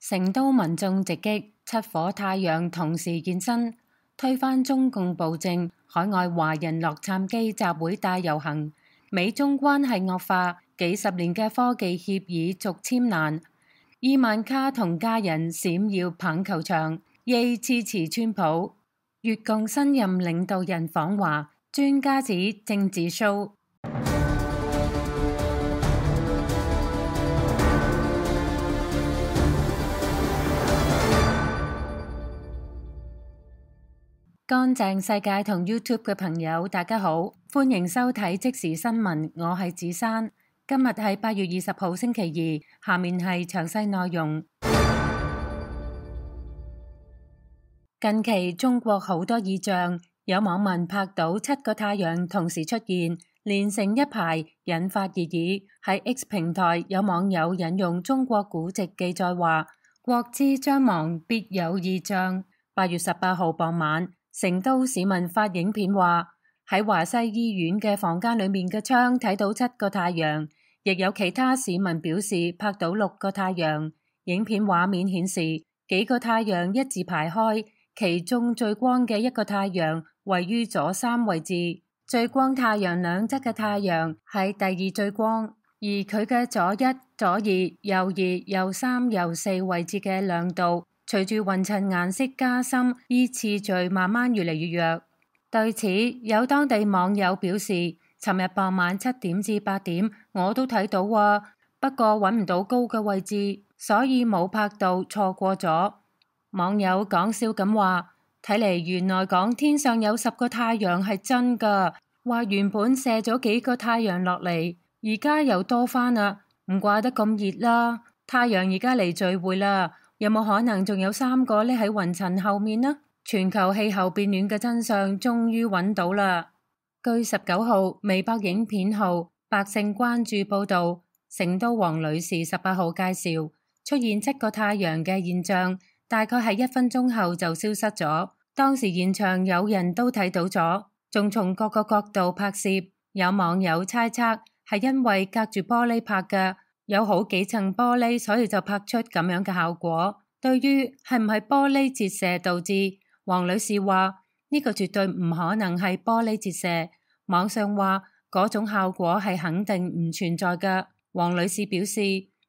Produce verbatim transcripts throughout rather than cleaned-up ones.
成都民眾直擊七顆太陽同時現身，推翻中共暴政，海外華人洛杉磯集會大遊行，美中關係惡化，幾十年嘅科技協議續簽難，伊萬卡同家人閃耀棒球場，耶支持川普，越共新任領導人訪華，專家指政治 show。乾淨世界同 YouTube 嘅朋友，大家好，歡迎收睇即時新聞，我係子珊。今日係八月二十號星期二，下面係詳細內容。近期中國好多異象，有網民拍到七個太陽同時出現，連成一排，引發熱議。喺 X 平台，有網友引用中國古籍記載話：國之將亡，必有異象。八月十八號傍晚，成都市民發影片話喺華西醫院嘅房間裏面嘅窗睇到七個太陽，亦有其他市民表示拍到六個太陽。影片畫面顯示幾個太陽一字排開，其中最光嘅一個太陽位於左三位置，最光太陽兩側嘅太陽係第二最光，而佢嘅左一、左二、右二、右三、右四位置嘅亮度隨住雲層顏色加深，依次序慢慢越嚟越弱。對此，有當地網友表示，尋日傍晚七點至八點我都睇到啊，不過揾唔到高嘅位置，所以冇拍到，錯過咗。網友講笑咁話，睇嚟原來講天上有十個太陽係真㗎，話原本射咗幾個太陽落嚟，而家又多返啦，唔怪得咁熱啦。太陽而家嚟聚會啦。有冇可能仲有三個匿喺雲層後面呢？全球氣候變暖嘅真相終於揾到啦！據十九號微博影片號百姓關注報道，成都王女士十八號介紹出現七個太陽嘅現象，大概係一分鐘後就消失咗。當時現場有人都睇到咗，仲從各個角度拍攝。有網友猜測係因為隔住玻璃拍嘅。有好幾層玻璃，所以就拍出咁樣嘅效果。對於係唔係玻璃折射導致，王女士話呢個絕對唔可能係玻璃折射。網上話嗰種效果係肯定唔存在嘅。王女士表示，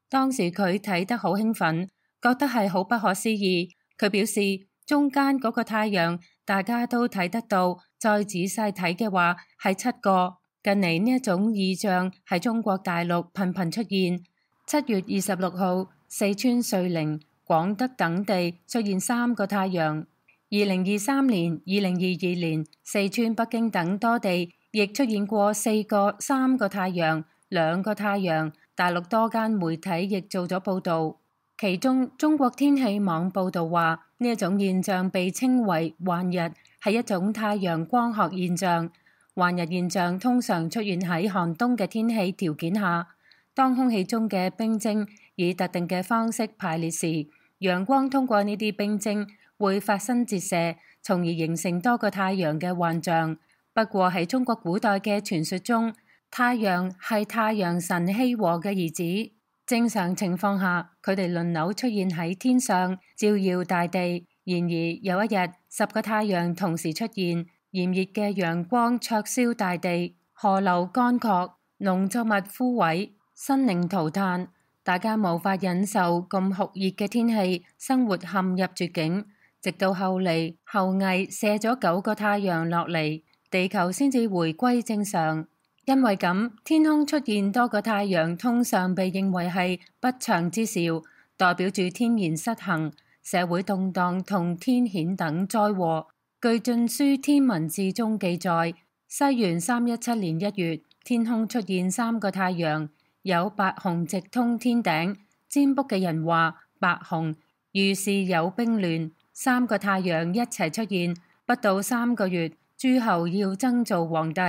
當時佢睇得好興奮，覺得係好不可思議。佢表示中間嗰個太陽大家都睇得到，再仔細睇嘅話係七個。近嚟呢一種異象喺中國大陸頻頻出現。七月二十六號，四川瑞寧、廣德等地出現三個太陽。二零二三年、二零二二年，四川、北京等多地亦出現過四個、三個太陽、兩個太陽。大陸多間媒體亦做咗報道，其中中國天氣網報道話呢一種現象被稱為幻日，係一種太陽光學現象。幻日現象通常出現喺寒冬嘅天氣條件下，當空氣中嘅冰晶以特定嘅方式排列時，陽光通過呢啲冰晶會發生折射，從而形成多個太陽嘅幻象。不過喺中國古代嘅傳說中，太陽係太陽神羲和嘅兒子，正常情況下佢哋輪流出現喺天上，照耀大地。然而有一日，十個太陽同時出現，炎熱嘅陽光灼燒大地，河流乾涸，農作物枯萎，生靈塗炭，大家無法忍受咁酷熱嘅天氣，生活陷入絕境。直到後嚟後羿射咗九個太陽落嚟，地球先至回歸正常。因為咁，天空出現多個太陽通常被認為係不祥之兆，代表住天然失衡、社會動盪同天譴等災禍。據《晉書天文志》中記載，西元三一七年一月，天空出現三個太陽。有白虹直通天頂，占卜嘅人話白虹預示有兵亂。三個太陽一齊出現，不到三個月，諸侯要爭做皇帝。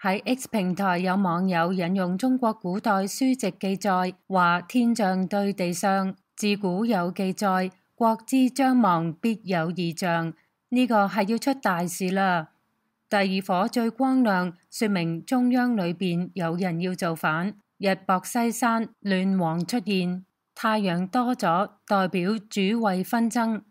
喺 X 平台有網友引用中國古代書籍記載，話天象對地相，自古有記載，國之將亡，必有異象。呢個係要出大事啦。第二顆最光亮，說明中央裏邊有人要造反。日薄西山，亂王出現。太陽多咗，代表主位紛爭。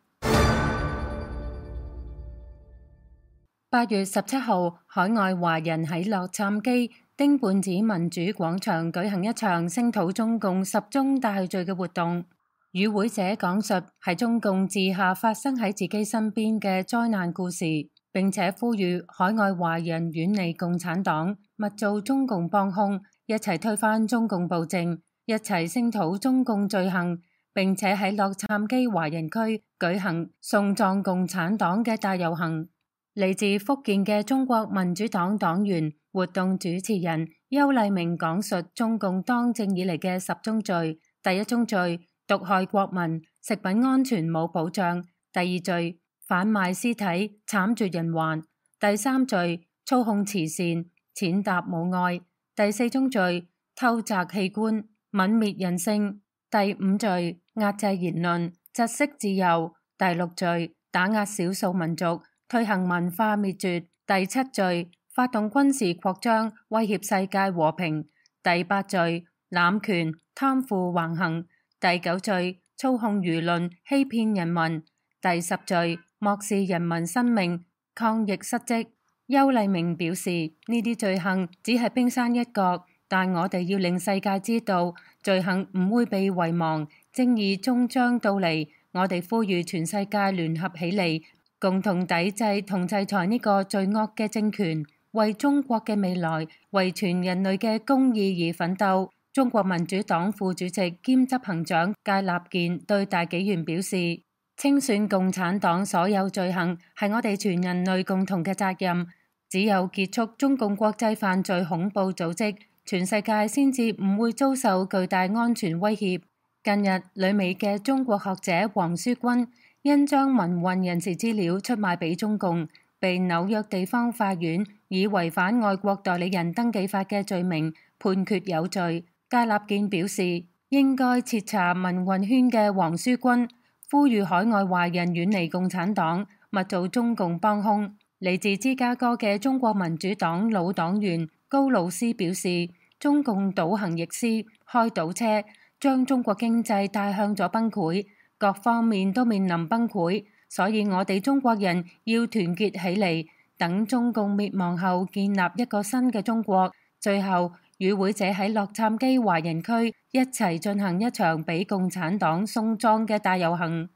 八月十七號，海外華人喺洛杉磯丁半子民主廣場舉行一場聲討中共十宗大罪嘅活動。與會者講述係中共治下發生喺自己身邊嘅災難故事，並且呼籲海外華人遠離共產黨，勿做中共幫兇，一齊推翻中共暴政，一齊聲討中共罪行，並且喺洛杉磯華人區舉行送葬共產黨嘅大遊行。嚟自福建嘅中國民主黨黨員、活動主持人邱麗明講述中共當政以嚟嘅十宗罪。第一宗罪，毒害國民，食品安全冇保障；第二罪，販賣屍體，慘絕人寰；第三罪，操控慈善，踐踏母愛；第四宗罪，偷摘器官，泯滅人性；第五罪，壓制言論，窒息自由；第六罪，打壓少數民族，推行文化滅絕；第七罪，發動軍事擴張，威脅世界和平；第八罪，濫權，貪腐橫行；第九罪，操控輿論，欺騙人民；第十罪，漠視人民生命，抗疫失職。邱麗明表示，呢啲罪行只係冰山一角，但我哋要令世界知道，罪行唔會被遺忘，正義終將到嚟。我哋呼籲全世界聯合起嚟，共同抵制同制裁呢個罪惡嘅政權，為中國嘅未來，為全人類嘅公義而奮鬥。中國民主黨副主席兼執行長芥立健對大紀元表示，清算共產黨所有罪行係我哋全人類共同嘅責任。只有結束中共國際犯罪恐怖組織，全世界先至唔會遭受巨大安全威脅。近日，旅美嘅中國學者黃舒君因將民運人士資料出賣俾中共，被紐約地方法院以違反外國代理人登記法嘅罪名判決有罪。芥立健表示，應該徹查民運圈嘅黃舒君，呼籲海外華人遠離共產黨，勿做中共幫兇。嚟自芝加哥嘅中國民主黨老黨員高魯斯表示，中共倒行逆施，開倒車，將中國經濟帶向咗崩潰，各方面都面臨崩潰，所以我哋中國人要團結起嚟，等中共滅亡後建立一個新嘅中國。最後，與會者喺洛杉磯華人區一齊進行一場俾共產黨送葬嘅大遊行。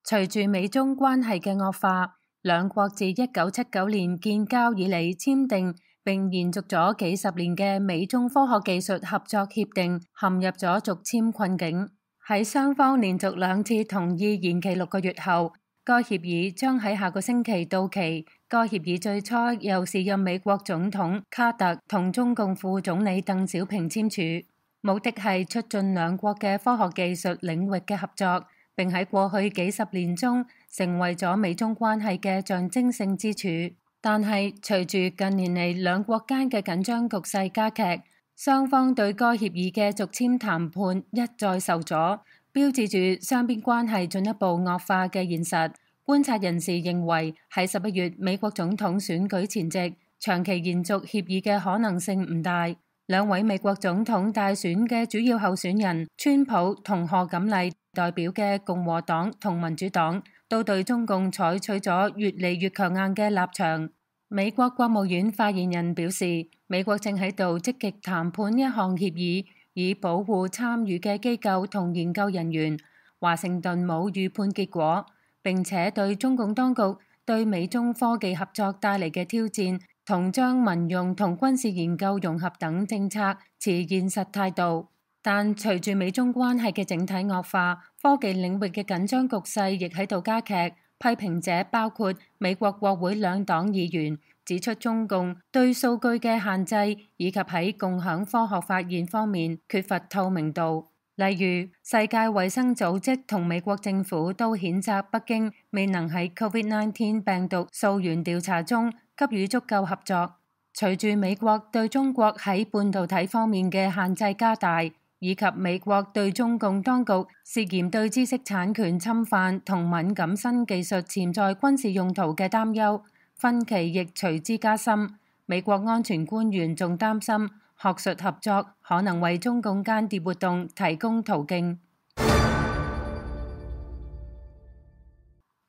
隨住美中關係嘅惡化，兩國自一九七九年建交以嚟簽訂並延續咗幾十年嘅美中科學技術合作協定陷入咗續簽困境。喺雙方連續兩次同意延期六個月後，該協議將喺下個星期到期。該協議最初由時任美國總統卡特同中共副總理鄧小平簽署，目的係促進兩國嘅科學技術領域嘅合作，並喺過去幾十年中成為咗美中關係嘅象徵性之處。但係隨住近年嚟兩國間嘅緊張局勢加劇，雙方對該協議嘅續簽談判一再受阻，標誌住雙邊關係進一步惡化嘅現實。觀察人士認為，喺十一月美國總統選舉前夕，長期延續協議嘅可能性唔大。兩位美國總統大選嘅主要候選人川普同賀錦麗代表嘅共和黨同民主黨都對中共採取咗越嚟越強硬嘅立場。美國國務院發言人表示，美國正喺度積極談判一項協議，以保護參與嘅機構同研究人員。華盛頓冇預判結果，並且對中共當局對美中科技合作帶嚟嘅挑戰同將民用同軍事研究融合等政策持現實態度。但隨住美中關係嘅整體惡化，科技領域嘅緊張局勢亦喺度加劇。批評者包括美國國會兩黨議員，指出中共對數據嘅限制以及喺共享科學發現方面缺乏透明度。例如，世界衛生組織同美國政府都譴責北京未能喺 COVID 十九 病毒溯源調查中給予足夠合作。隨住美國對中國喺半導體方面嘅限制加大，以及美國對中共當局涉嫌對知識產權侵犯同敏感新技術潛在軍事用途嘅擔憂，分歧亦隨之加深。美國安全官員仲擔心學術合作可能為中共間諜活動提供途徑。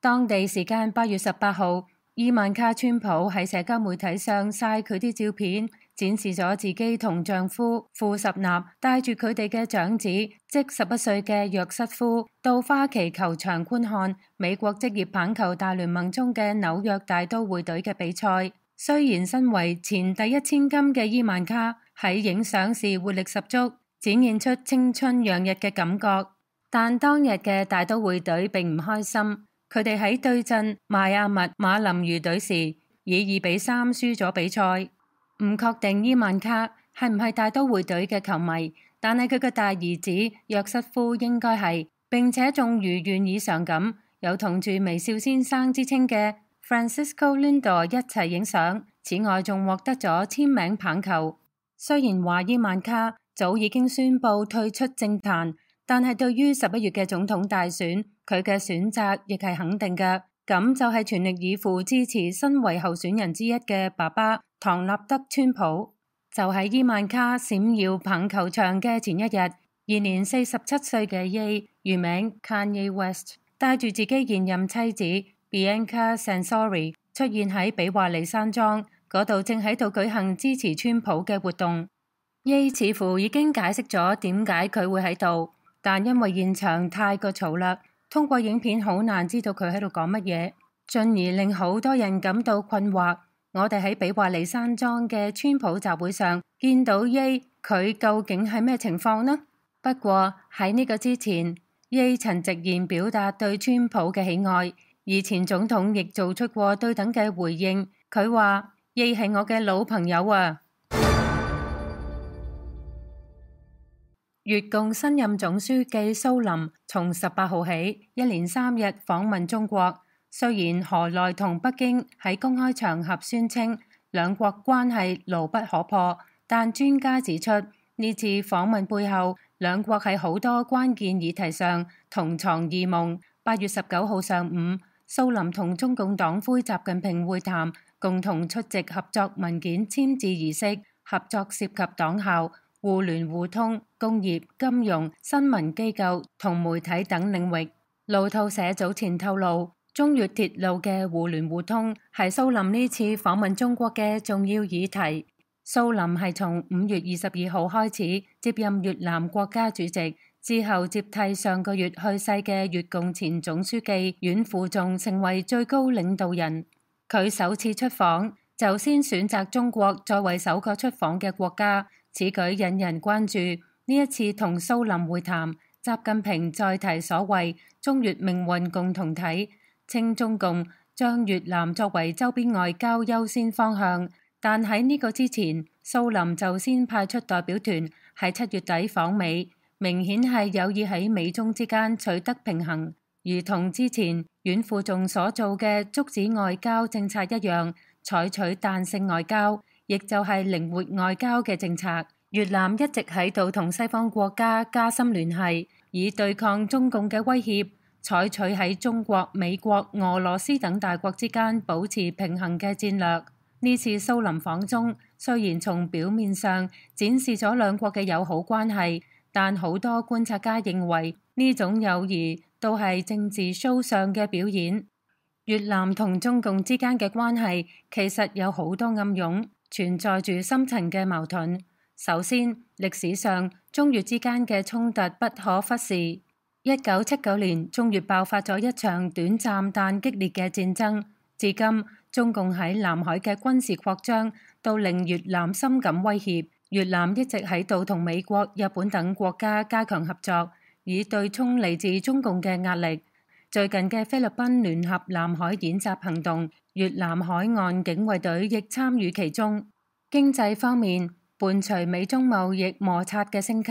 當地時間八月十八號，伊萬卡川普喺社交媒體上曬佢啲照片，展示咗自己同丈夫庫什納帶住佢哋嘅長子，即十一歲嘅約瑟夫，到花旗球場觀看美國職業棒球大聯盟中嘅紐約大都會隊嘅比賽。雖然身為前第一千金嘅伊萬卡喺影相時活力十足，展現出青春洋溢嘅感覺，但當日嘅大都會隊並唔開心。佢哋喺對陣邁阿密馬林魚隊時，以二比三輸咗比賽。唔確定伊萬卡係唔係大都會隊嘅球迷，但係佢嘅大兒子約瑟夫應該係，並且仲如願以償咁，有同住微笑先生之稱嘅 Francisco Lindor 一齊影相。此外，仲獲得咗簽名棒球。雖然話伊萬卡早已經宣布退出政壇，但係對於十一月嘅總統大選，佢嘅選擇亦係肯定嘅。咁就係全力以赴支持身為候選人之一嘅爸爸唐納德川普。就喺伊萬卡閃耀棒球場嘅前一日，現年四十七歲嘅 Ye 原名 Kanye West 帶住自己現任妻子 Bianca Censori 出現喺比華利山莊嗰度，正喺度舉行支持川普嘅活動。Ye 似乎已經解釋咗點解佢會喺度，但因為現場太過嘈啦，通過影片好難知道佢喺度講乜嘢，進而令好多人感到困惑。我哋喺比華利山莊嘅川普集會上見到 Ye， 佢究竟係咩情況呢？不過喺呢個之前， Ye 曾直言表達對川普嘅喜愛，而前總統亦做出過對等嘅回應。佢話 Ye 係我嘅老朋友啊。越共新任總書記蘇林從十八號起一連三日訪問中國。雖然河內同北京喺公開場合宣稱兩國關係牢不可破，但專家指出呢次訪問背後，兩國喺好多關鍵議題上同床異夢。八月十九號上午，蘇林同中共黨魁習近平會談，共同出席合作文件簽字儀式。合作涉及黨校、互聯互通、工業、金融、新聞機構同媒體等領域。路透社早前透露，中越鐵路嘅互聯互通係蘇林呢次訪問中國嘅重要議題。蘇林係從五月二十二號開始接任越南國家主席，之後接替上個月去世嘅越共前總書記阮富仲成為最高領導人。佢首次出訪就先選擇中國作為首個出訪嘅國家，此舉引人關注。呢一次同蘇林會談，習近平再提所謂中越命運共同體，稱中共將越南作為周邊外交優先方向，但喺呢個之前，蘇林就先派出代表團喺七月底訪美，明顯係有意喺美中之間取得平衡，如同之前阮富仲所做嘅竹子外交政策一樣，採取彈性外交，亦就係靈活外交嘅政策。越南一直喺度同西方國家加深聯繫，以對抗中共嘅威脅，採取喺中國、美國、俄羅斯等大國之間保持平衡嘅戰略。呢次蘇林訪中，雖然從表面上展示咗兩國嘅友好關係，但好多觀察家認為呢種友誼都係政治 show 上嘅表演。越南同中共之間嘅關係其實有好多暗湧，存在住深層嘅矛盾。首先，歷史上中越之間嘅衝突不可忽視。一九七九年，中越爆發咗一場短暫但激烈嘅戰爭。至今，中共喺南海嘅軍事擴張都令越南深感威脅。越南一直喺度同美國、日本等國家加強合作，以對沖嚟自中共嘅壓力。最近嘅菲律賓聯合南海演習行動，越南海岸警衛隊亦參與其中。經濟方面，伴隨美中貿易摩擦嘅升級，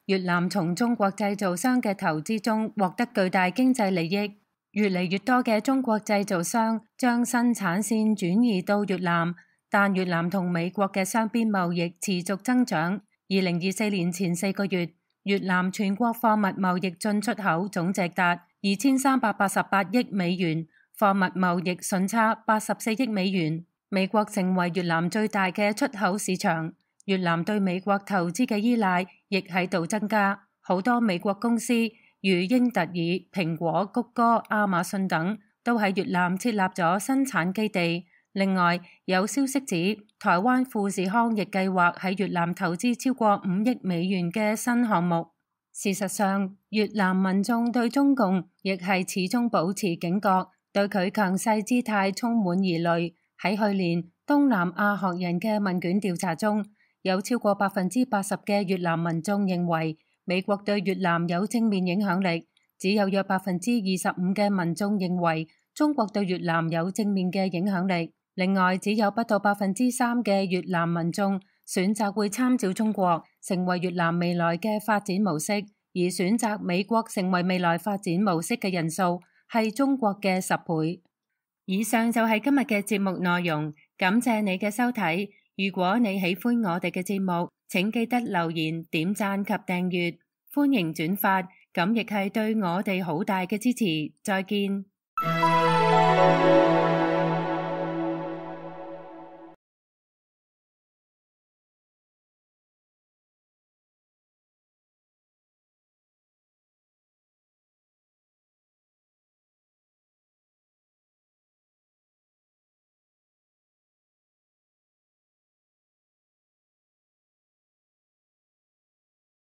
越南從中國製造商嘅投資中獲得巨大經濟利益。越嚟越多嘅中國製造商將生產線轉移到越南，但越南同美國嘅雙邊貿易持續增長。二零二四年前四個月，越南全國貨物貿易進出口總值達二千三百八十八億美元，貨物貿易順差八十四億美元。美國成為越南最大嘅出口市場。越南對美國投資嘅依賴亦喺度增加。好多美國公司如英特爾、蘋果、谷歌、亞馬遜等都喺越南設立咗生產基地。另外，有消息指台灣富士康亦計劃喺越南投資超過五億美元嘅新項目。事實上，越南民眾對中共亦係始終保持警覺，對佢強勢姿態充滿疑慮。喺去年東南亞學人嘅問卷調查中，有超過百分之八十嘅越南民眾認為美國對越南有正面影響力，只有約百分之二十五嘅民眾認為中國對越南有正面嘅影響力。另外，只有不到百分之三嘅越南民眾選擇會參照中國成為越南未來嘅發展模式，而選擇美國成為未來發展模式嘅人數係中國嘅十倍。以上就係今日嘅節目內容，感謝你嘅收睇。如果你喜歡我哋嘅節目，請記得留言、點讚及訂閱，歡迎轉發，咁亦係對我哋好大嘅支持。再見。